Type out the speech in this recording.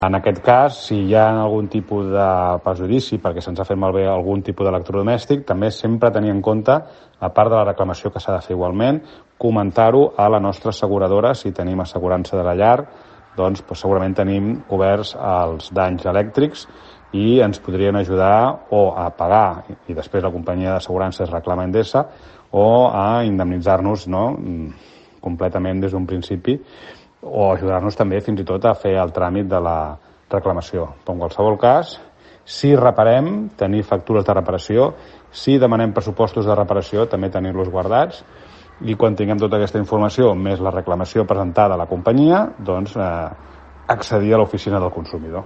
En aquest cas, si hi ha algun tipus de perjudici perquè se'ns ha fet malbé algun tipus d'electrodomèstic, també sempre tenir en compte, a part de la reclamació que s'ha de fer igualment, comentar-ho a la nostra asseguradora. Si tenim assegurança de la llar, doncs segurament tenim coberts els danys elèctrics i ens podrien ajudar o a pagar, i després la companyia d'assegurances reclama Endesa, o a indemnitzar-nos, no?, completament des d'un principi, o ajudar-nos també fins i tot a fer el tràmit de la reclamació. Però en qualsevol cas, si reparem, tenir factures de reparació, si demanem pressupostos de reparació, també tenir-los guardats, i quan tinguem tota aquesta informació, més la reclamació presentada a la companyia, doncs accedir a l'oficina del consumidor.